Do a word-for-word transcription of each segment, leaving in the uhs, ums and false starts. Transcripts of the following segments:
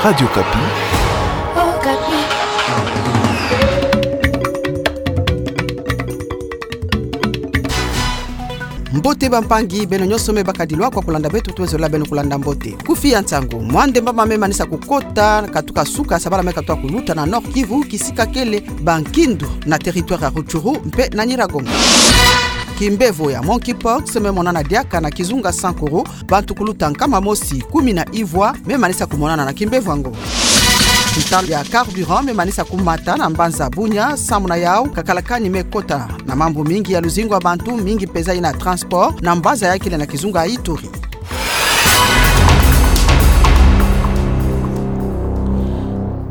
Radio Okapi. Okapi. Mbote bampangi, beno nyonso me bakadilwa kwa kulanda beto, tuwezolila beno kulanda mbote. Kufi ya nsangu: mwa ndemba mame manisa kukota katuka suka sabala me katuka kuluta na Nord-Kivu, kisika kele bankindu na territoire ya Rutshuru mpe na Nyiragongo. Kimbevo ya monkeypox me monana diaka na kizunga Sankuru, bantu kuluta nkama mosi kumi na ivwa me manisa kumonana na kimbevo yango. Ntalo ya carburant me manisa kumata na mbanza Bunia, samu na yau kakalakani me kota na mambu mingi ya luzingu ya bantu, mingi mpeza ina transport na mbanza ya kele na kizunga Ituri.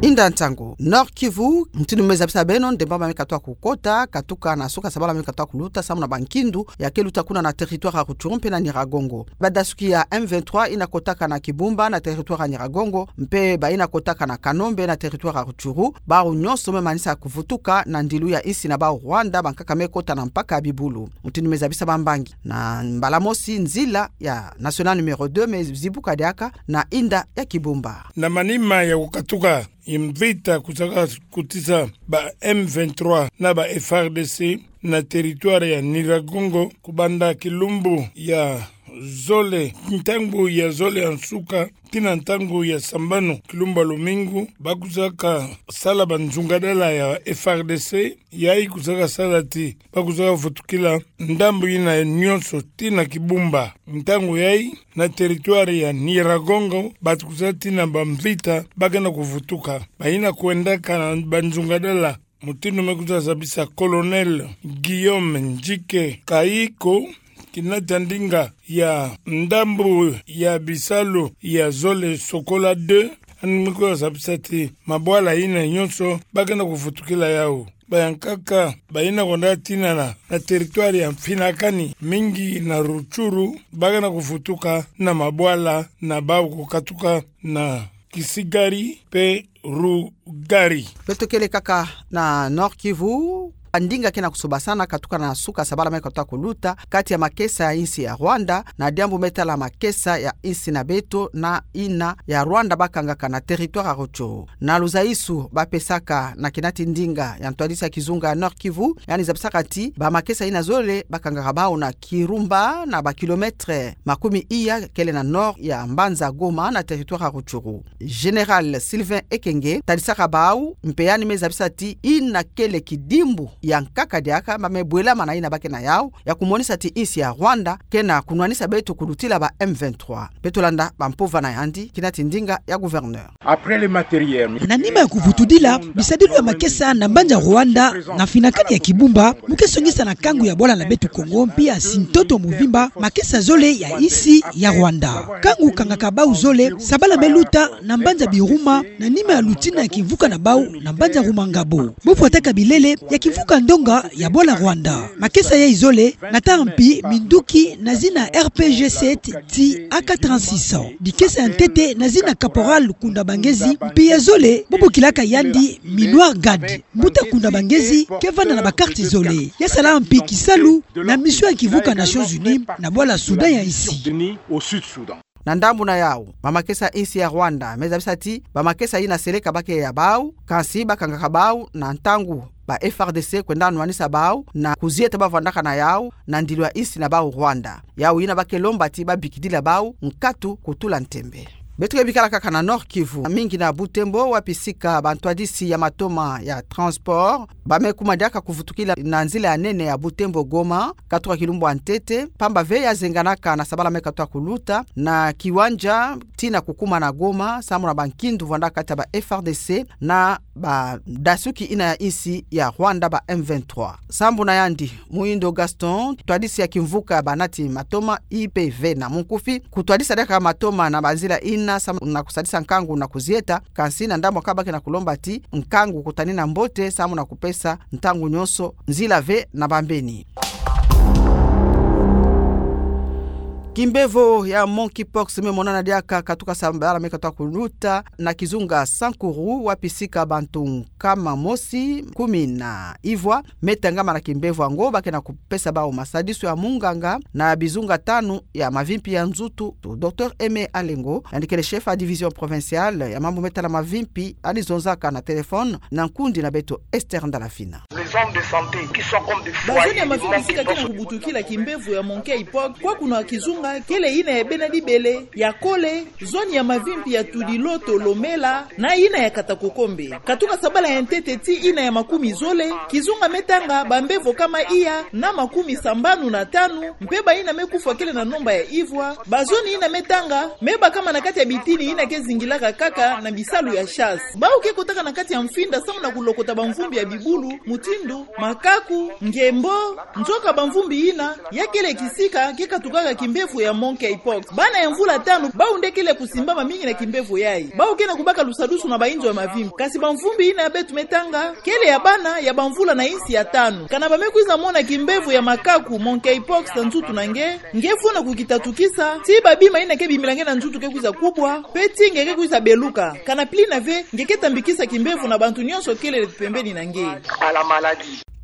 Inda nsangu: Nord-Kivu, mutindu me zabisa beno, ndemba mame katuka kukota katuka na suka sabala me katuka kuluta samu na bankindu ya ke luta kuna na territoire ya Rutshuru mpe na Nyiragongo. Badasuki ya M vingt-trois ina kotaka na Kibumba na territoire ya Nyiragongo, mpe baina kotaka na Kanombe na territoire ya Rutshuru, bau nyonso me manisa kuvutuka na ndilu ya insi na bau Rwanda, bankaka me kota na mpaka ya bibulu. Mutindu me zabisa bambangi, na mbala mosi nzila ya nationale numéro deux me zibuka diaka na inda ya Kibumba. Na manima ya kukatuka mvita kusaka kutisa ba M vingt-trois na ba F R D C na territoire ya Nyiragongo, kubanda kilumbu ya zole, ntangu ya zole ya nsuka tii na ntangu ya sambanu kilumbu ya lumingu, bakusaka sala banzungadala ya F R D C, yayi kusaka sala ti bakusaka vutukila ndambu ina nyonso tii na Kibumba. Ntangu yayi, na territoire ya Nyiragongo, bantu kusaka tii na bamvita bakena kuvutuka. Baina kwendaka na banzungadala, mutindu me kusaka zabisa Colonel Guillaume Njike Kayiko, kina ta ndinga ya ndambu ya bisalu ya zole Sokola deux, yandi me kusaka zabisa ti mabwala ina nyonso bakena kuvutukila yau. Bayankaka baina kwenda tinana na territoire ya mfinakani mingi na Rutshuru, bakena kuvutuka na mabwala na bau kukatuka na Kisigari mpe Rugari. Beto kele kaka na Nord-Kivu, ndinga kena kusobasana katuka na suka sabala me katuka kuluta kati ya makesa ya insi ya Rwanda na diambu me tala makesa ya insi na beto na ina ya Rwanda bakangaka na territoire ya Rutshuru. Na luzaisu bapesaka na kina ti ndinga ya ntwadisi ya kizunga ya Nord-Kivu, yandi zabisaka ti bamakesa ina zole bakangaka bau na Kirumba, na ba kilomètre makumi iya kele na nord ya mbanza Goma na territoire ya Rutshuru. Général Sylvain Ekenge talisaka bau, mpe yandi me zabisa ti ina kele kidimbu ya nkaka diaka ba me bwelama na ina bakena yau, ya kumonisa ti insi ya Rwanda kena kunwanisa beto kulutila ba M vingt-trois. Beto landa bampova na yandi kina ti ndinga ya gouverneur. Après les matériels. Na nima ya kuvutudila bisadilu ya makesa na mbanza Rwanda, na mfinakani ya Kibumba, mu ke songisa na nkangu ya bwala na beto Kongo, mpia si ntoto muvimba, makesa zole ya insi ya Rwanda. Nkangu kangaka bau zole sabala me luta na mbanza Biruma, na nima ya lutina ya kimvuka na bau na mbanza Rumangabo. Bo pwataka bilele ya kimvuka ndonga ya bwala Rwanda. Makesa yayi zole, na nta mpi minduki na zina R P G sept ti A K trente-six. Bikesa ya ntete na zina Caporal Kundabangezi, mpi ya zole bo bokilaka yandi Minuar Gad. Mbuta Kundabangezi ke vanda na ba carte zole. Ya sala mpi kisalu na mission ya kimvuka Nations Unies na bwala Soudan ya insi. Na ndambu na yau, bamakesa insi ya Rwanda me zabisa ti bamakesa ina seleka bake ya bau, kansi bakangaka bau na ntangu ba F R D C kwenda nwanisa bau na kuzieta bavwandaka na yau na ndilu ya insi na bau Rwanda. Yau ina ba ke lomba ti babikidila bau nkatu kutula ntembe. Beto ke bikala kaka na Nord-Kivu, mingi na Butembo, wapi sika bantwadisi ya matoma ya transport ba me kuma diaka kuvutukila na nzila ya nene ya Butembo-Goma, katuka kilumbu ya ntete, pamba ve ya zenganaka na sabala me katuka kuluta na kiwanja tii na kukuma na Goma, samu na bankindu vwandaka kati ya ba F R D C na badasuki ina ya insi ya Rwanda, ba M vingt-trois. Sambu na yandi, Muhindo Gaston, twadisi ya kimvuka ya banati matoma, I P V na munkufi, kutwadisa diaka matoma na banzila ina samu na kusadisa nkangu na kuzieta, kansi na ndambu kaka ba ke na kulomba ti nkangu kutanina mbote samu na kupesa ntangu nyonso nzila ve na bambeni. Kimbevo ya monkeypox me monana diaka katuka sabala me katuka kuluta na kizunga Sankuru, wapi sika bantu nkama mosi kumi na ivwa me tengama na kimbevo yango, ba ke na kupesa bawu masadisu ya munganga na bizunga tanu ya mavimpi ya nzutu. Docteur Aimé Alengo, yandi kele chef ya division provinciale ya mambu me tala mavimpi, alizonzaka na téléphone na nkundi na beto Esther Ndalafina. Les zones de santé qui sont comme des foyers de monkeypox. Bazone ya mavimpi sika ke na kubutukila kimbevo ya monkeypox, kwa kuna kizunga kele ina ya bena dibele, ya kole, zone ya mavimpi ya Tudiloto, Lomela, na ina ya Katakokombe. Katuka sabala ya ntete tii ina ya makumi zole, kizunga me tanga bambevo kama iya na makumi sambanu na tanu, mpe bayina me kufwa kele na nomba ya ivwa. Bazone ina me tanga me bakama na kati ya bitini ina ke zingilaka kaka na bisalu ya chasse. Bawu ke kotaka na kati ya mfinda samu na kulokota bamvumbi ya bibulu, mutindu makaku, ngembo, nzoka bamvumbi ina, ya kele kisika ke katukaka kimbevo ya monkeypox. Bana ya mvula tanu, bawu nde kele kusimbama mingi na kimbevo yayi. Bawu ke na kubaka lusadusu na bayinzo ya mavimpi. Kasi bamvumbi ina ya beto me tanga kele ya bana ya bamvula na insi ya tanu. Kana ba me kwiza mona kimbevo ya makaku, monkeypox, na nzutu na nge, nge fwana kukitatukisa, tii babima ina ke bimila nge na nzutu ke kwiza kubwa, mpe tii nge ke kwiza beluka. Kana pili na ve, nge ke tambikisa kimbevo na bantu nyonso kele pembeni na nge.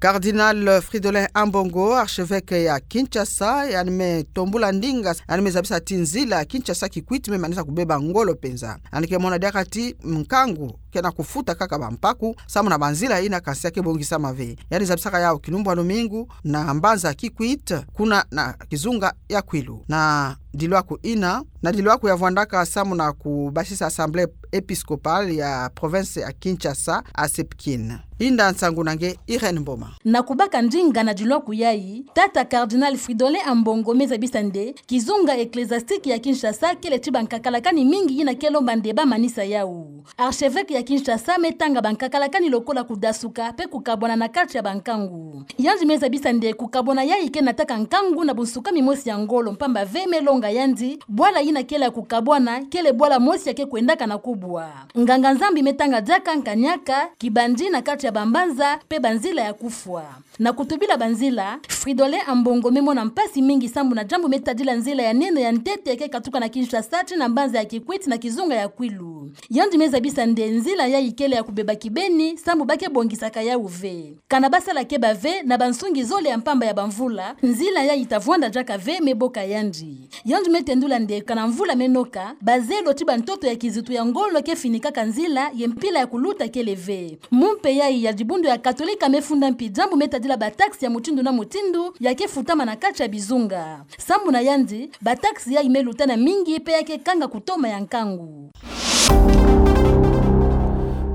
Cardinal Fridolin Ambongo, archevêque ya Kinshasa, yandi me tombula ndinga, yandi me zabisa ti nzila Kinshasa-Kikwit me manisa kubeba ngolo penza. Yandi ke mona diaka ti nkangu ke na kufuta kaka bampaku samu na banzila ina kansi ya ke bongisama ve. Yandi zabisaka yawu kilumbu ya lumingu na mbanza Kikwit, kuna na kizunga ya Kwilu. Na dilwaku ina, na dilwaku ya vwandaka samu na kubasisa Assemblée épiscopale ya province ya Kinshasa, ACEPKIN. Inda nsangu na nge Irène Mboma. Na kubaka ndinga na dilwaku yayi, tata Cardinal Fridolin Ambongo me zabisa nde kizunga ecclésiastique ya Kinshasa kele ti bankakalakani mingi ina ke lomba nde ba manisa yawu. Archevêque ya Kinshasa me tanga bankakalakani lokola kudasuka mpe kukabwana na kati ya bankangu. Yandi me zabisa nde kukabwana yayi ke nataka nkangu na bunsukami mosi ya ngolo, mpamba ve me longa yandi, bwala ina kele ya kukabwana kele bwala mosi ya ke kwendaka na kubwa. Nganga-Nzambi me tanga diaka nkanyaka, kibandi na kati ya bambanza mpe banzila ya kufwa. Na kutubila banzila, Fridolin Ambongo me mona mpasi mingi sambu na diambu me tadila nzila ya nene ya ntete ya ke katuka na Kinshasa tii na mbanza ya Kikwit na kizunga ya Kwilu. Yandi me zabisa nde nzila yayi kele ya kubeba kibeni sambu ba ke bongisaka yawu ve. Kana ba sala keba ve na bansungi zole ya mpamba ya bamvula, nzila yayi ta vwanda diaka ve, me boka yandi. Yandi me tendula nde kana mvula me noka, bazelo tii bantoto ya kizitu ya ngolo ke finikaka nzila, ye mpila ya kuluta kele ve. Mu mpe yayi ya dibundu ya Katolika me funda mpi diambu me tadila bataxe ya mutindu na mutindu ya ke futama na kati ya bizunga. Sambu na yandi, bataxe yayi me lutana mingi mpe ya ke kanga kutoma ya nkangu.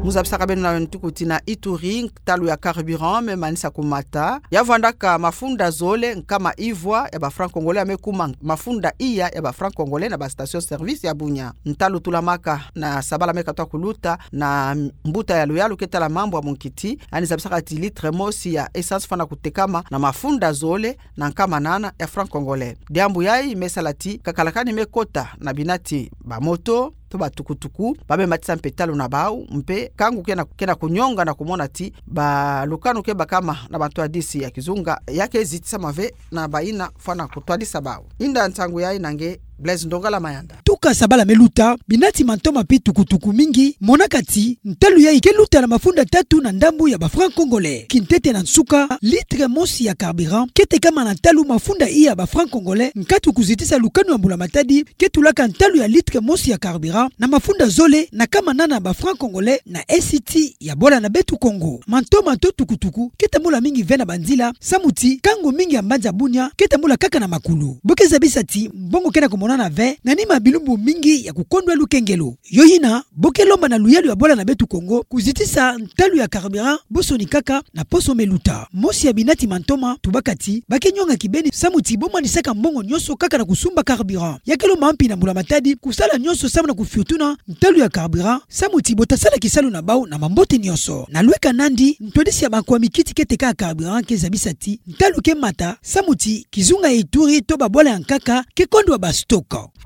Mu zabisaka beno na ntuku ti na Ituri, ntalu ya carburant me manisa kumata. Ya vwandaka mafunda zole nkama ivwa ya ba francs congolais, ya me kuma mafunda iya ya ba francs congolais na ba station-service ya Bunia. Ntalu tulamaka na sabala me katuka kuluta na mbuta ya luyalu ke tala mambu ya munkiti, yandi zabisaka ti litre mosi ya essence fwana kutekama na mafunda zole na nkama nana ya francs congolais. Diambu yayi me sala ti kakalakani me kota na binati ba moto to ba tukutuku, ba me matisa mpe talu na bawu, mpe nkangu ke na, ke na kunyonga na kumona ti ba lukanu ke bakama na bantwadisi ya kizunga ya ke zitisama ve na bayina fwana kutwadisa bawu. Inda nsangu yayi na nge Blaise Ndongala Mayanda. Tuka sabala me luta, binati mantoma mpe tukutuku mingi monaka ti ntalu yayi ke luta na mafunda tatu na ndambu ya ba francs congolais. Kintete na nsuka, litre mosi ya carburant ke tekama na ntalu mafunda iya ba francs congolais, nkatu kuzitisa lukanu ya mbula matadi ke tulaka ntalu ya litre mosi ya carburant na mafunda zole na nkama nana ba francs congolais na N C T ya bwala na beto Kongo. Mantoma to tukutuku ke tambula mingi ve na banzila, samu ti nkangu mingi ya mbanza Bunia ke tambula kaka na makulu. Bo ke zabisa ti mbongo ke na kumonana ve na nima ya bilumbu mingi ya kukondwa lukengelo. Yo yina, bo ke lomba na luyalu ya bwala na beto Kongo kuzitisa ntalu ya carburant, bo soni kaka na poso me luta. Mosi ya binati mantoma tubaka ti ba ke nyonga kibeni samu ti bo manisaka mbongo nyonso kaka na kusumba carburant. Ya ke lomba mpi na mbula matadi kusala nyonso samu na kufiotuna ntalu ya carburant, samu ti bo ta sala kisalu na bawu na mambote nyonso. Na lweka nandi, ntwadisi ya bankwa mikiti ke teka carburant ke zabisa ti ntalu ke mata, samu ti kizunga ya Ituri to babwala ya nkaka ke kondwa ba stock.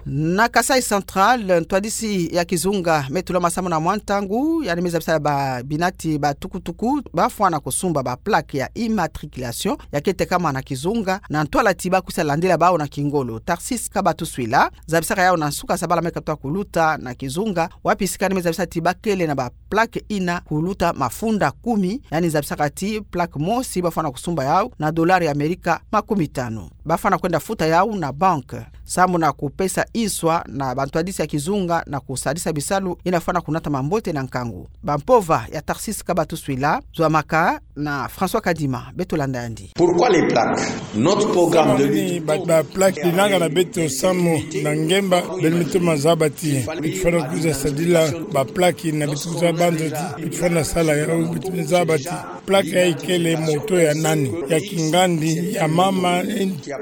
Na Kasaï Central, ntwadisi ya kizunga me tulama samu na mwa ntangu, yandi me zabisa ba binati ba tukutuku bafwana kusumba ba plaque ya immatriculation, ya ke tekama na kizunga, na ntwala ti bakwisa landila bawu na kingolo. Tarcisse Kabatuswila zabisaka yawu na nsuka za bala me katuka kuluta na kizunga, wapi sikani me zabisa ti bakele na ba plaque ina kuluta mafunda kumi, yandi zabisaka ti plaque mosi bafwana kusumba yawu na dollar ya Amerika makumi tanu. Bafwana kwenda futa yawu na banque, samu na kupesa nswa na bantwadisi ya kizunga na kusadisa bisalu ina fwana kunata mambote na nkangu. Bampova ya Tarcisse Kabatuswila, zwa maka na François Kadima, beto landa yandi. Pourquoi les plaques ? Notre programme de lutte. Ba, ba plaque binanga na beto samu na ngemba, beno me toma zaba ti beto fwana kwiza sadila ba plaque na beto kwiza banza ti beto fwana sala yawu, beto me zaba ti plaque yayi kele moto ya nani, ya kingandi, ya mama,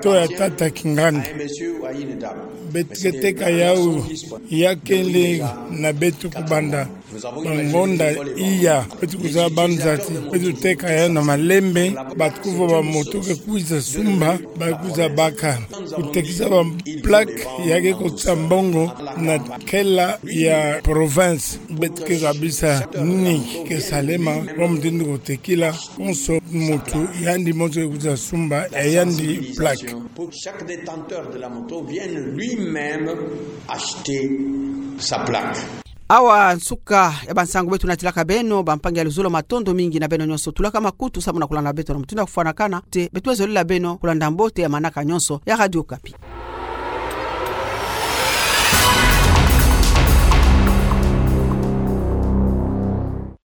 to ya tata kingandi. Beto ke teka yawu, ya kele na beto kubanda. Ba ngonda iya, beto kwiza banza ti beto teka yawu na malembe, ba tukuvova moto ke kwiza sumba, ba kwiza baka. Kutekisa ba plaque ya ke kotisa mbongo na kela ya province. Beto ke zabisa nini ke salema, wa mutindu kotekila, konso moto yandi moto ke kwiza sumba, e yandi plaque. Pour que chaque détenteur de la moto vienne lui-même acheter sa plaque. Awa nsuka ya bansangu beto natilaka beno, bampangi ya luzolo, matondo mingi na beno nyonso tulaka makutu samu na kulanda beto na mutindu ya kufwanakana. Te beto me zolila beno kulanda mbote ya manaka nyonso ya Radio Okapi.